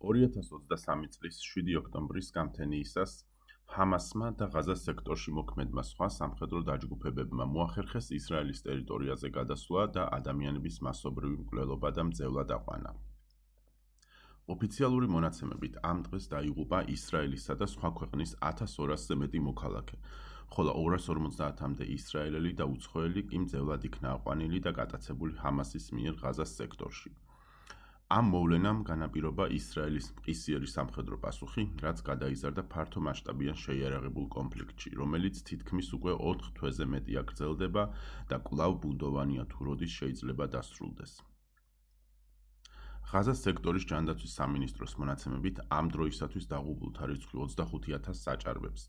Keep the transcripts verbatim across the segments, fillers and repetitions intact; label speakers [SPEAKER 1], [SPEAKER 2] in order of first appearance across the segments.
[SPEAKER 1] ორი ათას ოცდასამი წლის შვიდი ოქტომბრის გამთენიისას ჰამასმა და ღაზას სექტორში მოქმედმა სხვა სამხედრო დაჯგუფებებმა მოახერხეს ისრაელის ტერიტორიაზე გადასვლა და ადამიანების მასობრივი მკვლელობა და მძევლა დაყვანა. ოფიციალური მონაცემებით ამ დღეს დაიღუპა ისრაელისა და სხვა ქვეყნის ათას ორასზე მეტი მოქალაქე, ხოლო ორას ორმოცდაათამდე ისრაელელი და უცხოელი კი მძევლად იქნა აყვანილი და გატაცებული ჰამასის მიერ ღაზას სექტორში. ამ მოვლენამ განაპირობა ისრაელის მყისიერი სამხედრო პასუხი, რაც გადაიზარდა ფართო მასშტაბიან შეიარაღებულ კონფლიქტში, რომელიც თითქმის უკვე ოთხ თვეზე მეტია გრძელდება და კვლავ ბუნდოვანია თუ როდის შეიძლება დასრულდეს. ღაზას სექტორის ჯანდაცვის სამინისტროს მონაცემებით ამ დროისათვის დაღუპულთა რიცხვი ოცდახუთი ათასს აჭარბებს.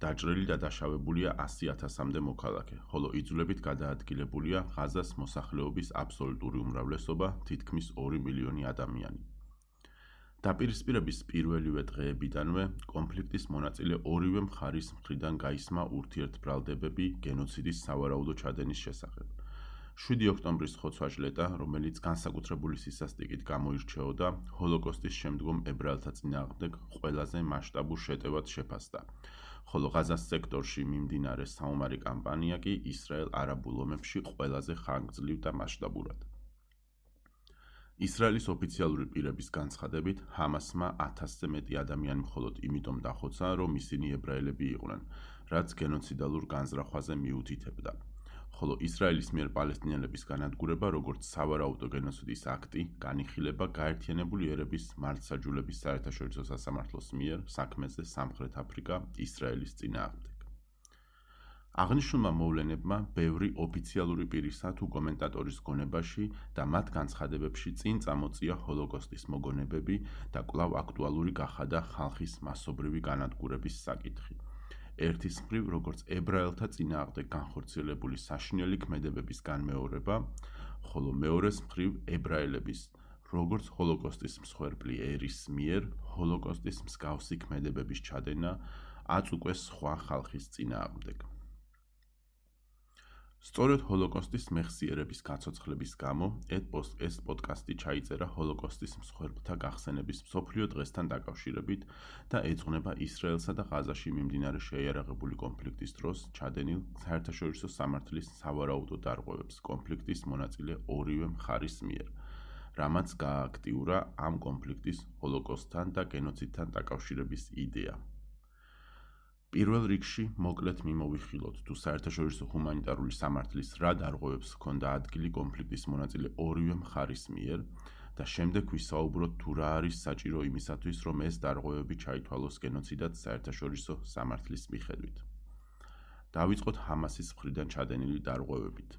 [SPEAKER 1] დაჭრილი და დაშავებულია ასი ათასამდე მოქალაქე, ხოლო იძულებით გადაადგილებულია ღაზას მოსახლეობის აბსოლუტური უმრავლესობა, თითქმის ორი მილიონი ადამიანი. დაპირისპირების პირველივე დღეებიდანვე კონფლიქტის მონაწილე ორივე მხარის მხრიდან გაისმა ურთიერთბრალდებები გენოციდის სავარაუდო ჩადენის შესახებ. შვიდი ოქტომბრის ხოცვა-ჟლეტა, რომელიც განსაკუთრებული სისასტიკით გამოირჩეოდა, ჰოლოკოსტის შემდგომ ებრაელთა წინააღმდეგ ყველაზე მასშტაბურ შეტევად შეფასდა, ხოლო ღაზას სექტორში მიმდინარე საომარი კამპანია კი ისრაელ-არაბულ ომებში ყველაზე ხანგრძლივ და მასშტაბურად. ისრაელის ოფიციალური პირების განცხადებით, ჰამასმა ათასზე მეტი ადამიანი მხოლოდ იმიტომ დახოცა, რომ ისინი ებრაელები იყვნენ, რაც გენოციდალურ განზრახვაზე მიუთითებდა. ხოლო ისრაელის მიერ პალესტინელების განადგურება, როგორც სავარაუდო გენოციდის აქტი, განიხილება გაერთიანებული ერების მართლმსაჯულების საერთაშორისო სასამართლოს მიერ საქმეზე სამხრეთ აფრიკა ისრაელის წინააღმდეგ. აღნიშნულმა მოვლენებმა ბევრი ოფიციალური პირისა თუ კომენტატორის გონებაში და მათ განცხადებებში წინ წამოწია ჰოლოკოსტის მოგონებები და კვლავ აქტუალური გახადა ხალხის მასობრივი განადგურების საკითხი. ერთის მხრივ, როგორც ებრაელთა წინააღმდეგ განხორციელებული საშინელი ქმედებების განმეორება, ხოლო მეორეს მხრივ ებრაელების, როგორც ჰოლოკოსტის მსხვერპლი ერის მიერ, ჰოლოკოსტის მსგავსი ქმედებების ჩადენა აწ უკვე სხვა ხალხის წინააღმდეგ. სწორედ ჰოლოკოსტის მეხსიერების გაცოცხლების გამო ეს პოდკასტი ჩაიწერა ჰოლოკოსტის მსხვერპლთა გახსენების მსოფლიო დღესთან დაკავშირებით და ეძღვნება ისრაელსა და ღაზაში მიმდინარე შეიარაღებული კონფლიქტის დროს ჩადენილ საერთაშორისო სამართლის სავარაუდო დარღვევებს კონფლიქტის მონაწილე ორივე მხარის მიერ, რამაც გაააქტიურა ამ კონფლიქტის ჰოლოკოსტთან და გენოციდთან დაკავშირების იდეა. პირველ რიგში მოკლედ მიმოვიხილოთ, თუ საერთაშორისო ჰუმანიტარული სამართლის რა დარღვევებს ჰქონდა ადგილი კონფლიქტის მონაწილე ორივე მხარის მიერ და შემდეგ ვისაუბროთ, თუ რა არის საჭირო იმისათვის, რომ ეს დარღვევები ჩაითვალოს გენოციდად საერთაშორისო სამართლის მიხედვით. დავიწყოთ ჰამასის მხრიდან ჩადენილი დარღვევებით.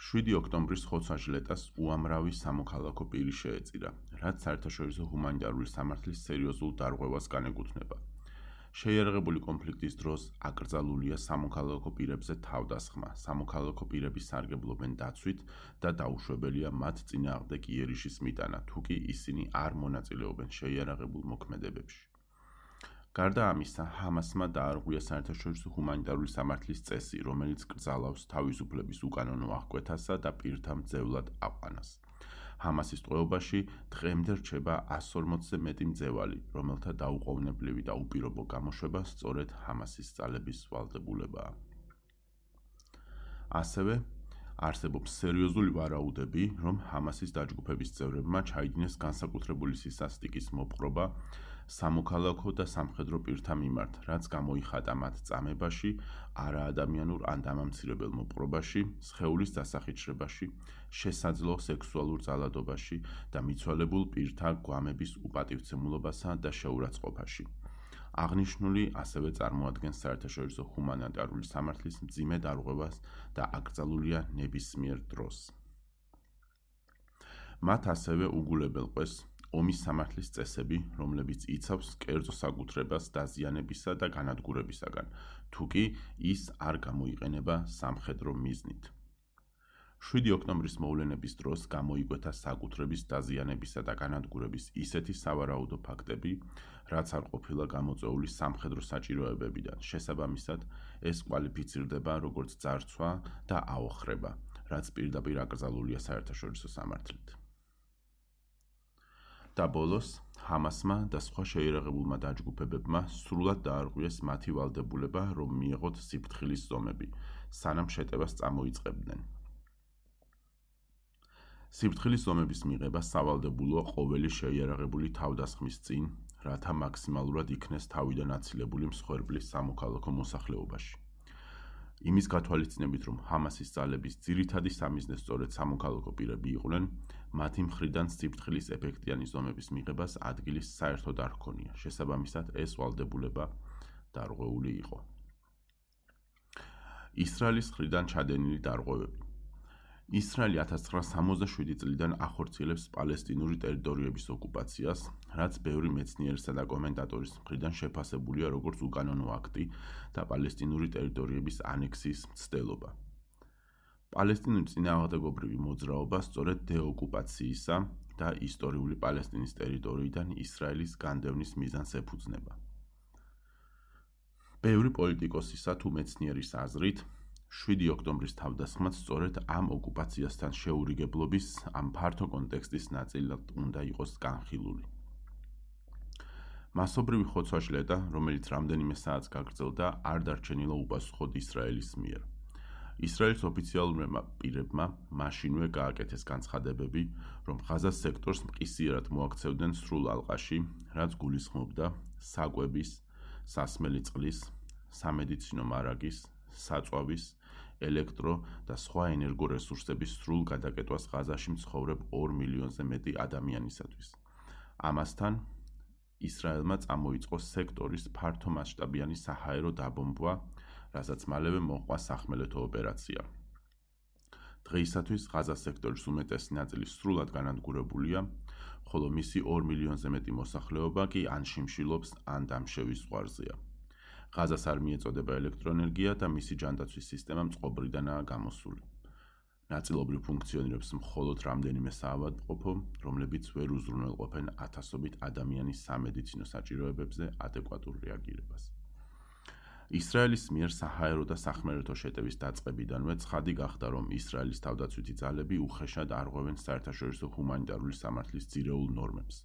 [SPEAKER 1] შვიდი ოქტომბრის ხოცვა-ჟლეტას უამრავი სამოქალაქო პირი შეეწირა, რაც საერთაშორისო ჰუმანიტარული სამართლის სერიოზულ დარღვევას განეკუთვნება. შეიარაღებული კონფლიქტის დროს აკრძალულია სამოქალაქო პირებზე თავდასხმა, სამოქალაქო პირები სარგებლობენ დაცვით და დაუშვებელია მათ წინააღმდეგ იერიშის მიტანა, თუ კი ისინი არ მონაწილეობენ შეიარაღებულ მოქმედებებში. გარდა ამისა, ჰამასმა დაარღვია საერთაშორისო ჰუმანიტარული სამართლის წესი, რომელიც კრძალავს თავისუფლების უკანონო აღკვეთასა და პირთა მძევლად აყვანას. ჰამასის ტყვეობაში დღემდე რჩება ას ორმოცზე მეტი მძევალი, რომელთა დაუყოვნებლივი და უპირობო გამოშვება სწორედ ჰამასის ძალების ვალდებულებაა. ასევე არსებობს სერიოზული ვარაუდები, რომ ჰამასის დაჯგუფების წევრებმა ჩაიდინეს განსაკუთრებული სისასტიკის მოპყრობა სამოქალაქო და სამხედრო პირთა მიმართ, რაც გამოიხატა მათ წამებაში, არაადამიანურ ან დამამცირებელ მოპყრობაში, სხეულის დასახიჩრებაში, შესაძლო სექსუალურ ძალადობაში და მიცვალებულ პირთა გვამების უპატივცემულობასა და შეურაცხყოფაში. აღნიშნული ასევე წარმოადგენს საერთაშორისო ჰუმანიტარული სამართლის მძიმე დარღვევას და აკრძალულია ნებისმიერ დროს. მათ ასევე უგულებელყვეს ომის სამართლის წესები, რომლებიც იცავს კერძო საკუთრებას დაზიანებისა და განადგურებისაგან, თუ კი ის არ გამოიყენება სამხედრო მიზნით. შვიდი ოქტომბრის მოვლენების დროს გამოიკვეთა საკუთრების დაზიანებისა და განადგურების ისეთი სავარაუდო ფაქტები, რაც არ ყოფილა გამოწვეული სამხედრო საჭიროებებიდან. შესაბამისად, ეს კვალიფიცირდება როგორც ძარცვა და აოხრება, რაც პირდაპირ აკრძალულია საერთაშორისო სამართლით. და ბოლოს ჰამასმა და სხვა შეიარაღებულმა დაჯგუფებებმა სრულად დაარღვიეს მათი ვალდებულება, რომ მიეღოთ სიფრთხილის ზომები, სანამ შეტევას წამოიწყებდნენ. სიფრთხილის ზომების მიღება სავალდებულოა ყოველი შეიარაღებული თავდასხმის წინ, რათა მაქსიმალურად იქნეს თავიდან აცილებული მსხვერპლის სამოქალაქო მოსახლეობაში. იმის გათვალისწინებით, რომ ჰამასის ძალების ძირითადი სამიზნე სწორედ სამოქალაქო პირები იყვნენ, მათი მხრიდან სიფრთხილის ეფექტიანი ზომების მიღებას ადგილის საერთოდ არ ჰქონია, შესაბამისად ეს ვალდებულება დარღვეული იყო. ისრაელის მხრიდან ჩადენილი დარღვევები. ისრაელი ათას ცხრაასა სამოცდაშვიდი წლიდან ახორციელებს პალესტინური ტერიტორიების ოკუპაციას, რაც ბევრი მეცნიერისა და კომენტატორის მხრიდან შეფასებულია როგორც უკანონო აქტი და პალესტინური ტერიტორიების ანექსიის მცდელობა. პალესტინური წინააღმდეგობრივი მოძრაობა სწორედ დეოკუპაციისა და ისტორიული პალესტინის ტერიტორიიდან ისრაელის განდევნის მიზანს ეფუძნება. ბევრი პოლიტიკოსისა თუ მეცნიერის აზრით, შვიდი ოქტომბრის თავდასხმაც სწორედ ამ ოკუპაციასთან შეურიგებლობის, ამ ფართო კონტექსტის ნაწილად უნდა იყოს განხილული. მასობრივი ხოცვა-შლედა, რომელიც რამდენიმე საათს გაგრძელდა, არ დარჩენილა უპასუხოდ ისრაელის მიერ. ისრაელის ოფიციალურმა პირებმა მაშინვე გააკეთეს განცხადებები, რომ ღაზას სექტორს მყისიერად მოაქცევდნენ სრულ ალყაში, რაც გულისხმობდა საკვების, სასმელი წყლის, სამედიცინო მარაგის, საწვავის, ელექტრო და სხვა ენერგო რესურსების სრულ გადაკეტვას ღაზაში მცხოვრებ ორ მილიონზე მეტი ადამიანისათვის. ამასთან, ისრაელმა წამოიწყო სექტორის ფართომასშტაბიანი საჰაერო დაბომბვა, რასაც მალევე მოჰყვა სახმელეთო ოპერაცია. დღეისათვის ღაზას სექტორის უმეტესი ნაწილი სრულად განადგურებულია, ხოლო მისი ორ მილიონზე მეტი მოსახლეობა კი ან შიმშილობს, ან დამშევის ზღვარზეა. ღაზას არ მიეწოდება ელექტროენერგია და მისი ჯანდაცვის სისტემა წყობრიდანაა გამოსული. ნაწილობრივ ფუნქციონირებს მხოლოდ რამდენიმე საავადმყოფო, რომლებიც ვერ უზრუნველყოფენ ათასობით ადამიანის სამედიცინო საჭიროებებზე ადეკვატურ რეაგირებას. ისრაელის მიერ საჰაერო და სახმელეთო შეტევის დაწყებიდანვე ცხადი გახდა, რომ ისრაელის თავდაცვითი ძალები უხეშად არღვევენ საერთაშორისო ჰუმანიტარული სამართლის ძირეულ ნორმებს.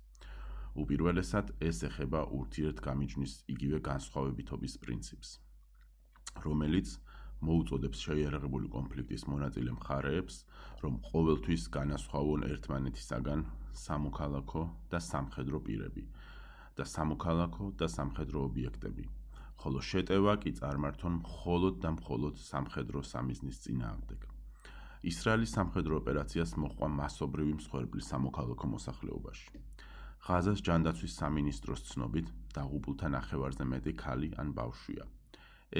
[SPEAKER 1] უპირველესად, ეს ეხება ურთიერთგამიჯნის იგივე განსხვავებითობის პრინციპს, რომელიც მოუწოდებს შეიარაღებული კონფლიქტის მონაწილე მხარეებს, რომ ყოველთვის განასხვავონ ერთმანეთისაგან სამოქალაქო და სამხედრო პირები და სამოქალაქო და სამხედრო ობიექტები, ხოლო შეტევა კი წარმართონ მხოლოდ და მხოლოდ სამხედრო სამიზნის წინააღმდეგ. ისრაელის სამხედრო ოპერაციას მოჰყვა მასობრივი მსხვერპლი სამოქალაქო მოსახლეობაში. ღაზას ჯანდაცვის სამინისტროს ცნობით, დაღუპულთა ნახევარზე მეტი ქალი ან ბავშვია.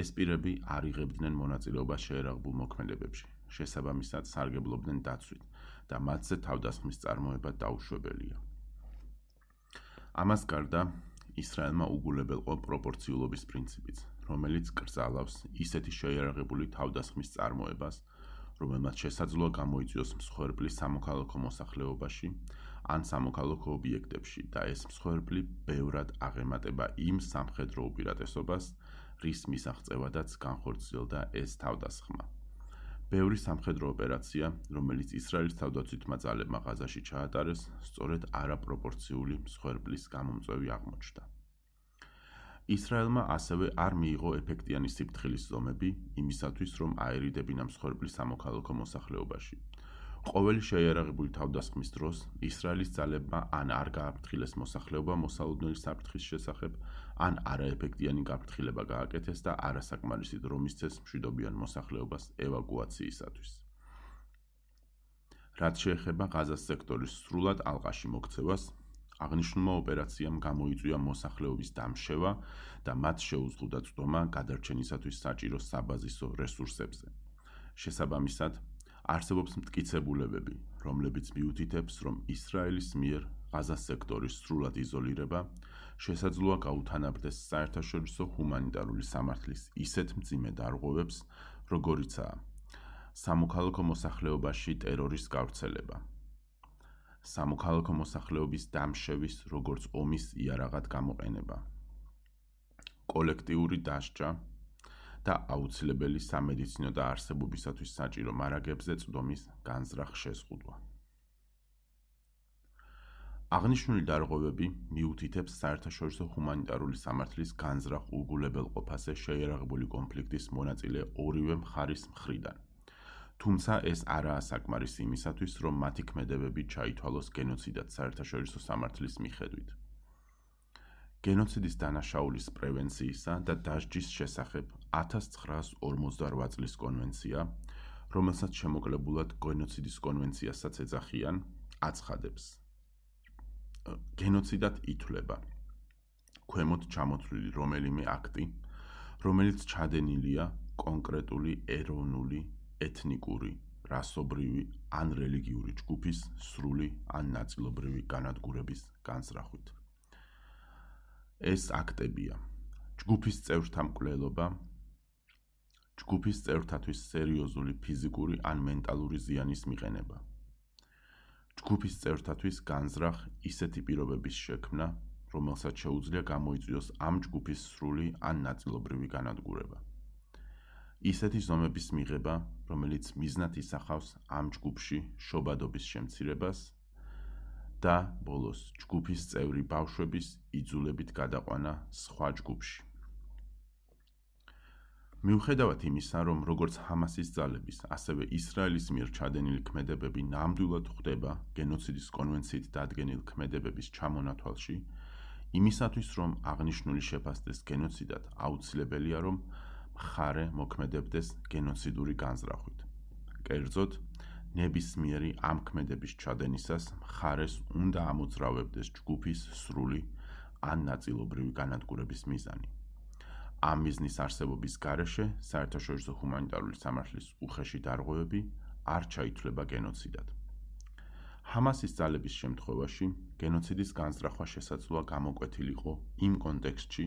[SPEAKER 1] ეს პირები არ იღებდნენ მონაწილეობას შეიარაღებულ მოქმედებებში, შესაბამისად სარგებლობდნენ დაცვით და მათზე თავდასხმის წარმოება დაუშვებელია. ამას გარდა, ისრაელმა უგულებელყო პროპორციულობის პრინციპიც, რომელიც კრძალავს ისეთი შეიარაღებული თავდასხმის წარმოებას, რომელმაც შესაძლოა გამოიწვიოს მსხვერპლი სამოქალაქო მოსახლეობაში ან სამოქალაქო ობიექტებში და ეს მსხვერპლი ბევრად აღემატება იმ სამხედრო უპირატესობას, რის მისაღწევადაც განხორციელდა ეს თავდასხმა. ბევრი სამხედრო ოპერაცია, რომელიც ისრაელის თავდაცვითმა ძალებმა ღაზაში ჩაატარეს, სწორედ არაპროპორციული მსხვერპლის გამომწვევი აღმოჩნდა. ისრაელმა ასევე არ მიიღო ეფექტიანი სიფრთხილის ზომები იმისათვის, რომ აერიდებინა მსხვერპლი სამოქალაქო მოსახლეობაში. ყოველი შეიარაღებული თავდასხმის დროს ისრაელის ძალებმა ან არ გააფრთხილეს მოსახლეობა მოსალოდნელი საფრთხის შესახებ, ან არაეფექტიანი გაფრთხილება გააკეთეს და არასაკმარისი დრო მისცეს მშვიდობიან მოსახლეობას ევაკუაციისათვის. რაც შეეხება ღაზას სექტორის სრულად ალყაში მოქცევას, აღნიშნულმა ოპერაციამ გამოიწვია მოსახლეობის დამშევა და მათ შეუზღუდა წვდომა გადარჩენისათვის საჭირო საბაზისო რესურსებზე. შესაბამისად, არსებობს მტკიცებულებები, რომლებიც მიუთითებს, რომ ისრაელის მიერ ღაზას სექტორის სრულად იზოლირება შესაძლოა გაუთანაბრდეს საერთაშორისო ჰუმანიტარული სამართლის ისეთ მძიმე დარღვევებს, როგორიცაა სამოქალაქო მოსახლეობაში ტერორის გავრცელება, სამოქალაქო მოსახლეობის დამშევის როგორც ომის იარაღად გამოყენება, კოლექტიური დასჯა და აუცილებელი სამედიცინო და არსებობისათვის საჭირო მარაგებზე წვდომის განზრახ შეზღუდვა. აღნიშნული დარღვევები მიუთითებს საერთაშორისო ჰუმანიტარული სამართლის განზრახ უგულებელყოფაზე შეიარაღებული კონფლიქტის მონაწილე ორივე მხარის მხრიდან. თუმცა ეს არაა საკმარისი იმისათვის, რომ მათი ქმედებები ჩაითვალოს გენოციდად საერთაშორისო სამართლის მიხედვით. გენოციდის დანაშაულის პრევენციისა და დასჯის შესახებ ათას ცხრაას ორმოცდარვა წლის კონვენცია, რომელსაც შემოკლებულად გენოციდის კონვენციასაც ეძახიან, აცხადებს. გენოციდად ითვლება ქვემოთ ჩამოთვლილი რომელიმე აქტი, რომელიც ჩადენილია კონკრეტული ეროვნული, ეთნიკური, რასობრივი ან რელიგიური ჯგუფის სრული ან ნაწილობრივი განადგურების განზრახვით. ეს აქტებია: ჯგუფის წევრთა მკვლელობა, ჯგუფის წევრთათვის სერიოზული ფიზიკური ან მენტალური ზიანის მიყენება, ჯგუფის წევრთათვის განზრახ ისეთი პირობების შექმნა, რომელსაც შეუძლია გამოიწვიოს ამ ჯგუფის სრული ან ნაწილობრივი განადგურება, ისეთი ზომების მიღება, რომელიც მიზნად ისახავს ამ ჯგუფში შობადობის შემცირებას და ბოლოს ჯგუფის წევრი ბავშვების იძულებით გადაყვანა სხვა ჯგუფში. მიუხედავად იმისა, რომ როგორც ჰამასის ძალების, ასევე ისრაელის მიერ ჩადენილი ქმედებები ნამდვილად ხვდება გენოციდის კონვენციით დადგენილ ქმედებების ჩამონათვალში, იმისათვის, რომ აღნიშნული შეფასდეს გენოციდად, აუცილებელია, რომ მხარე მოქმედებდეს გენოციდური განზრახვით. კერძოდ, ნებისმიერი ამ ქმედების ჩადენისას მხარეს უნდა ამოძრავებდეს ჯგუფის სრული ან ნაწილობრივი განადგურების მიზანი. ამ მიზნის არსებობის გარეშე საერთაშორისო ჰუმანიტარული სამართლის უხეში დარღვევები არ ჩაითვლება გენოციდად. ჰამასის ძალების შემთხვევაში გენოციდის განზრახვა შესაძლოა გამოკვეთილიყო იმ კონტექსტში,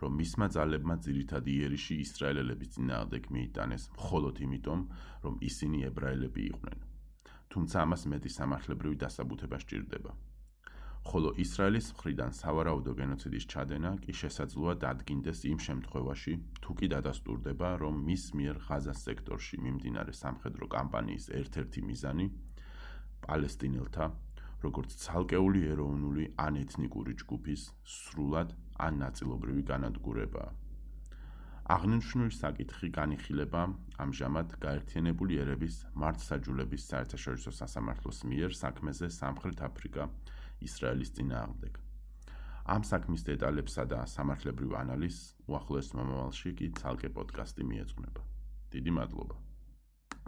[SPEAKER 1] რომ მისმა ძალებმა ძირითადი იერიში ისრაელელების წინააღმდეგ მიიტანეს მხოლოდ იმიტომ, რომ ისინი ებრაელები იყვნენ. თუმცა ამას მეტი სამართლებრივი დასაბუთება სჭირდება. ხოლო ისრაელის მხრიდან სავარაუდო გენოციდის ჩადენა კი შესაძლოა დადგინდეს იმ შემთხვევაში, თუ კი დადასტურდება, რომ მის მიერ ღაზას სექტორში მიმდინარე სამხედრო კამპანიის ერთ-ერთი მიზანი პალესტინელთა, როგორც ცალკეული ეროვნული ან ეთნიკური ჯგუფის სრულად ან ნაწილობრივი განადგურებაა. აღნიშნული საკითხი განიხილება ამჟამად გაერთიანებული ერების მართლმსაჯულების საერთაშორისო სასამართლოს მიერ საქმეზე სამხრეთ აფრიკა ისრაელის წინააღმდეგ. ამ საქმის დეტალებსა და სამართლებრივ ანალიზს უახლოეს მომავალში კი ცალკე პოდკასტი მიეძღვნება. დიდი მადლობა.